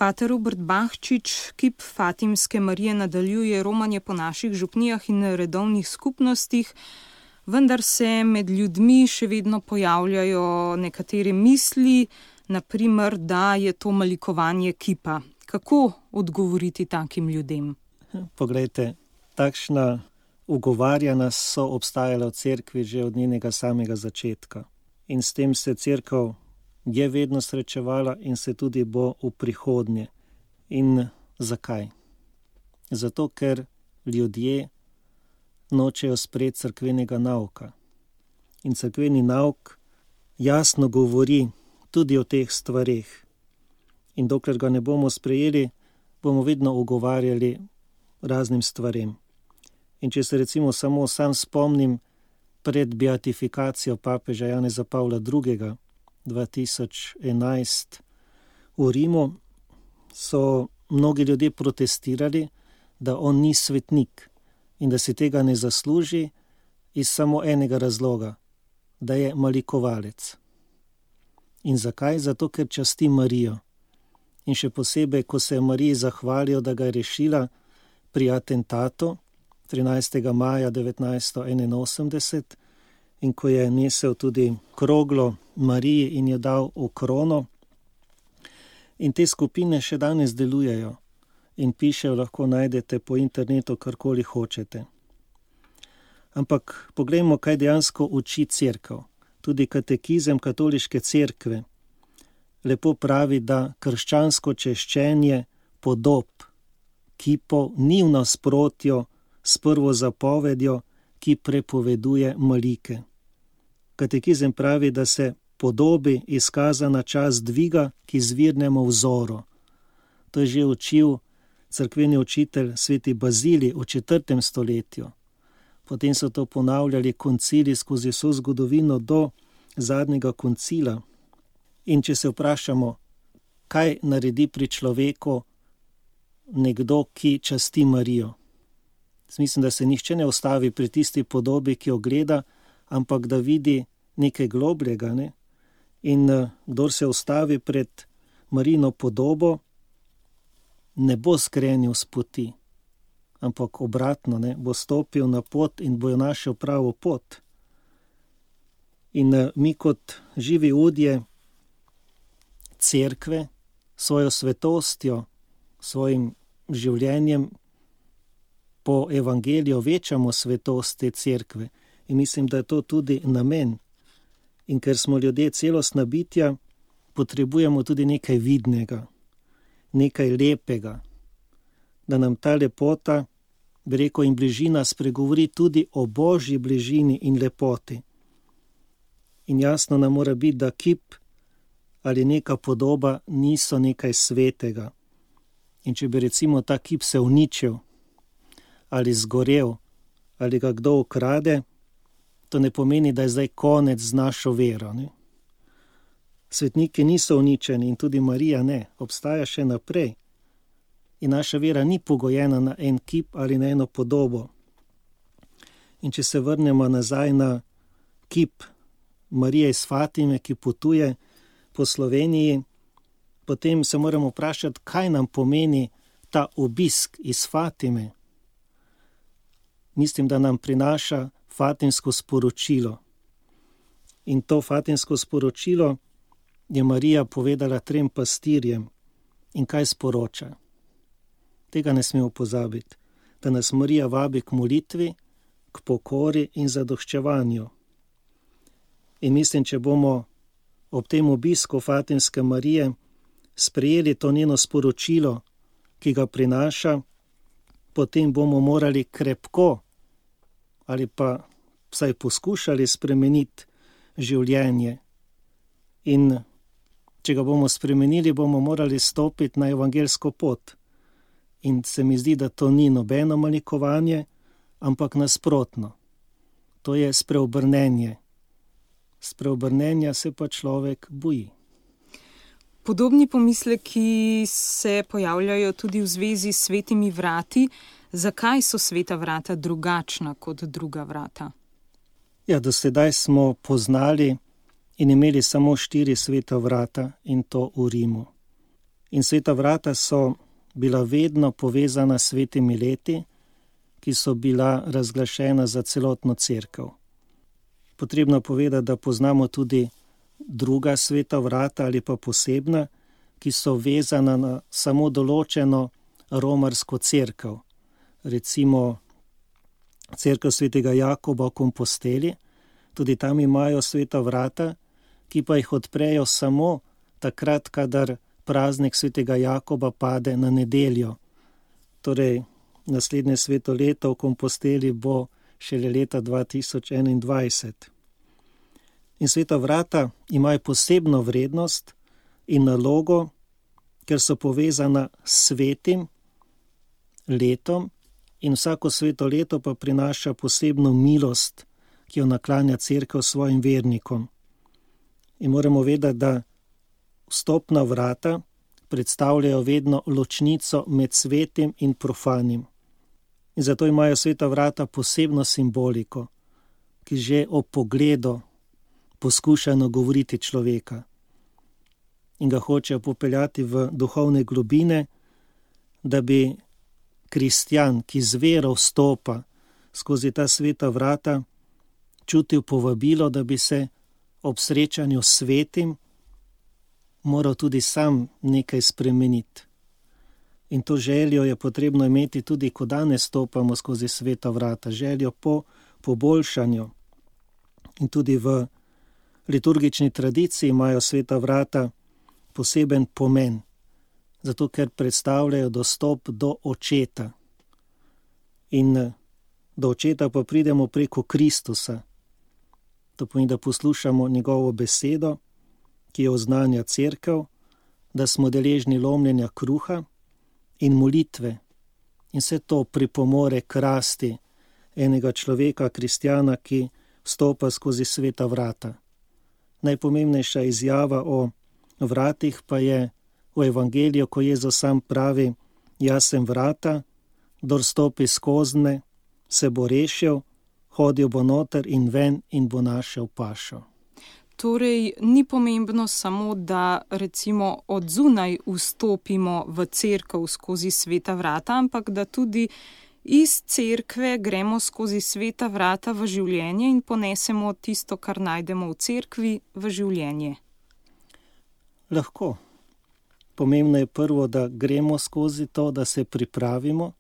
Pater Robert Bahčič kip Fatimske Marije nadaljuje romanje po naših župnijah in redovnih skupnostih, vendar se med ljudmi še vedno pojavljajo nekatere misli, naprimer, da je to malikovanje kipa. Kako odgovoriti takim ljudem? Poglejte, takšna ugovarjanja so obstajala v cerkvi že od njenega samega začetka. In s tem se cerkev je vedno srečevala in se tudi bo v prihodnje. In zakaj? Zato, ker ljudje nočejo sprejeti cerkvenega nauka. In cerkveni nauk jasno govori tudi o teh stvareh. In dokler ga ne bomo sprejeli, bomo vedno ugovarjali raznim stvarem. In če se recimo samo sam spomnim pred beatifikacijo papeža Janeza Pavla II. 2011 v Rimu, so mnogi ljudje protestirali, da on ni svetnik in da si tega ne zasluži iz samo enega razloga, da je malikovalec. In zakaj? Zato, ker časti Marijo. In še posebej, ko se je Mariji zahvalijo, da ga je rešila pri atentatu 13. maja 1981 in ko je nesel tudi kroglo Mariji in jo dal v krono. In te skupine še danes delujejo in pišejo, lahko najdete po internetu karkoli hočete. Ampak poglejmo, kaj dejansko uči cerkev. Tudi katekizem katoliške cerkve lepo pravi, da krščansko češčenje podob, kipov, ni v nasprotju s prvo zapovedjo, ki prepoveduje malike. Katekizem pravi, da se podobi izkazana čast dviga k izvirnemu vzoru. To je že učil cerkveni učitelj sveti Bazilij v 4. stoletju. Potem so to ponavljali koncili skozi vso zgodovino do zadnjega koncila. In če se vprašamo, kaj naredi pri človeku nekdo, ki časti Marijo. Mislim, da se nihče ne ustavi pri tisti podobi, ki jo gleda, ampak da vidi nekaj globljega. Ne? In kdor se ustavi pred Marijino podobo, ne bo skrenil s poti, ampak obratno, ne? Bo stopil na pot in bo jo našel pravo pot. In mi kot živi udje cerkve, svojo svetostjo, svojim življenjem po evangeliju večamo svetost te cerkve. In mislim, da je to tudi namen. In ker smo ljudje celostna bitja, potrebujemo tudi nekaj vidnega, nekaj lepega, da nam ta lepota, bi rekel, in bližina spregovori tudi o Božji bližini in lepoti. In jasno nam mora biti, da kip ali neka podoba niso nekaj svetega. In če bi recimo ta kip se uničil ali zgorel ali ga kdo ukrade, to ne pomeni, da je zdaj konec z našo vero. Ne? Svetniki niso uničeni in tudi Marija ne, obstaja še naprej. In naša vera ni pogojena na en kip ali na eno podobo. In če se vrnemo nazaj na kip Marije iz Fatime, ki potuje po Sloveniji, potem se moramo vprašati, kaj nam pomeni ta obisk iz Fatime. Mislim, da nam prinaša fatimsko sporočilo. In to fatimsko sporočilo je Marija povedala 3 pastirjem. In kaj sporoča? Tega ne smemo pozabiti, da nas Marija vabi k molitvi, k pokori in zadoščevanju. In mislim, če bomo ob tem obisku Fatimske Marije sprejeli to njeno sporočilo, ki ga prinaša, potem bomo morali krepko ali pa vsaj poskušali spremeniti življenje. In če ga bomo spremenili, bomo morali stopiti na evangelsko pot. In se mi zdi, da to ni nobeno malikovanje, ampak nasprotno. To je spreobrnenje. Spreobrnenja se pa človek boji. Podobni pomisleki se pojavljajo tudi v zvezi s svetimi vrati. Zakaj so sveta vrata drugačna kot druga vrata? Ja, do sedaj smo poznali in imeli samo 4 sveta vrata in to v Rimu. In sveta vrata so bila vedno povezana s svetimi leti, ki so bila razglašena za celotno cerkev. Potrebno povedati, da poznamo tudi druga sveta vrata ali pa posebna, ki so vezana na samo določeno romarsko cerkev. Recimo cerkev svetega Jakoba v Komposteli, tudi tam imajo sveta vrata, ki pa jih odprejo samo takrat, kadar praznik svetega Jakoba pade na nedeljo. Torej, naslednje sveto leto v Komposteli bo šele leta 2021. In sveta vrata imajo posebno vrednost in nalogo, ker so povezana s svetim letom in vsako sveto leto pa prinaša posebno milost, ki jo naklanja cerkev svojim vernikom. In moramo vedeti, da vstopna vrata predstavljajo vedno ločnico med svetim in profanim. In zato imajo sveta vrata posebno simboliko, ki že ob pogledu poskuša nagovoriti človeka in ga hoče popeljati v duhovne globine, da bi kristjan, ki z vero vstopa skozi ta sveta vrata, čutil povabilo, da bi se ob srečanju s svetim moral tudi sam nekaj spremeniti. In to željo je potrebno imeti tudi, ko danes stopamo skozi sveta vrata, željo po poboljšanju. In tudi v liturgični tradiciji imajo sveta vrata poseben pomen, zato ker predstavljajo dostop do Očeta. In do Očeta pa pridemo preko Kristusa. To pomeni, da poslušamo njegovo besedo, ki jo oznanja cerkev, da smo deležni lomljenja kruha in molitve. In vse to pripomore k rasti enega človeka, kristjana, ki vstopa skozi sveta vrata. Najpomembnejša izjava o vratih pa je v evangeliju, ko Jezus sam pravi: jaz sem vrata, kdor stopi skoznje, se bo rešil, hodil bo noter in ven in bo našel pašo. Torej, ni pomembno samo, da recimo od zunaj vstopimo v cerkev skozi sveta vrata, ampak da tudi iz cerkve gremo skozi sveta vrata v življenje in ponesemo tisto, kar najdemo v cerkvi, v življenje. Lahko. Pomembno je prvo, da gremo skozi to, da se pripravimo,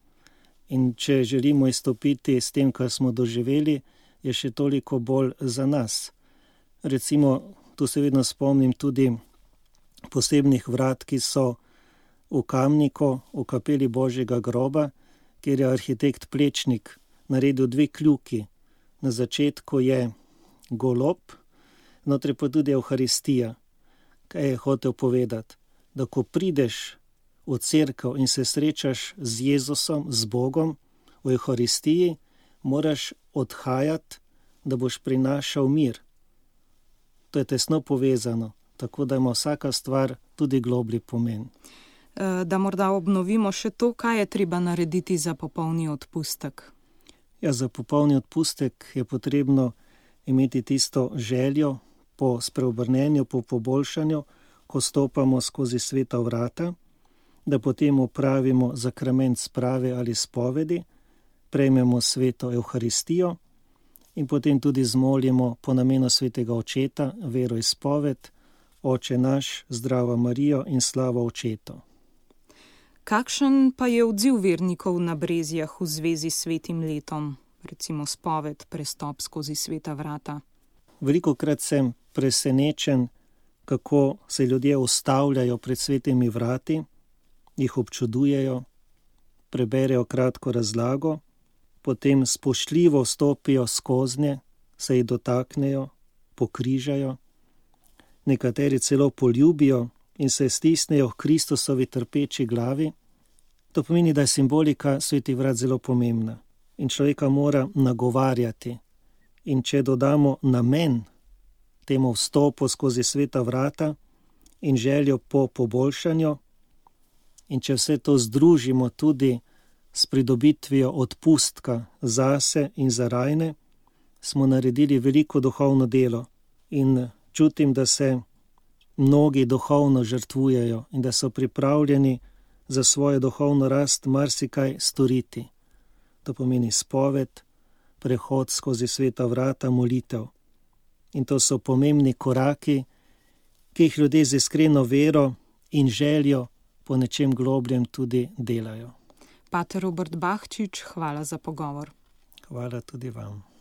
in če želimo izstopiti s tem, kar smo doživeli, je še toliko bolj za nas. Recimo, tu se vedno spomnim tudi posebnih vrat, ki so v Kamniku, v kapeli Božjega groba, kjer je arhitekt Plečnik naredil 2 kljuki. Na začetku je golob, notri pa tudi Evharistija. Kaj je hotel povedati? Da ko prideš v cerkev in se srečaš z Jezusom, z Bogom, v Evharistiji, moraš odhajati, da boš prinašal mir. To je tesno povezano, tako da ima vsaka stvar tudi globlji pomen. Da morda obnovimo še to, kaj je treba narediti za popolni odpustek. Ja, za popolni odpustek je potrebno imeti tisto željo po spreobrnenju, po poboljšanju, ko stopamo skozi sveta vrata, da potem opravimo zakrament sprave ali spovedi, prejmemo sveto Evharistijo in potem tudi zmolimo po namenu svetega Očeta veroizpoved: Oče naš, zdrava Marijo in slava Očetu. Kakšen pa je odziv vernikov na Brezjah v zvezi s svetim letom, recimo spoved, prestop skozi sveta vrata? Velikokrat sem presenečen, kako se ljudje ustavljajo pred svetimi vrati, jih občudujejo, preberejo kratko razlago, potem spoštljivo stopijo skoznje, se jih dotaknejo, pokrižajo, nekateri celo poljubijo in se stisnejo k Kristusovi trpeči glavi. To pomeni, da je simbolika svetih vrat zelo pomembna in človeka mora nagovarjati. In če dodamo namen temu vstopu skozi sveta vrata in željo po poboljšanju, in če vse to združimo tudi s pridobitvijo odpustka zase in za rajne, smo naredili veliko duhovno delo in čutim, da se mnogi duhovno žrtvujejo in da so pripravljeni za svojo duhovno rast marsikaj storiti. To pomeni spoved, prehod skozi sveta vrata, molitev. In to so pomembni koraki, ki jih ljudje z iskreno vero in željo po nečem globljem tudi delajo. Pater Robert Bahčič, hvala za pogovor. Hvala tudi vam.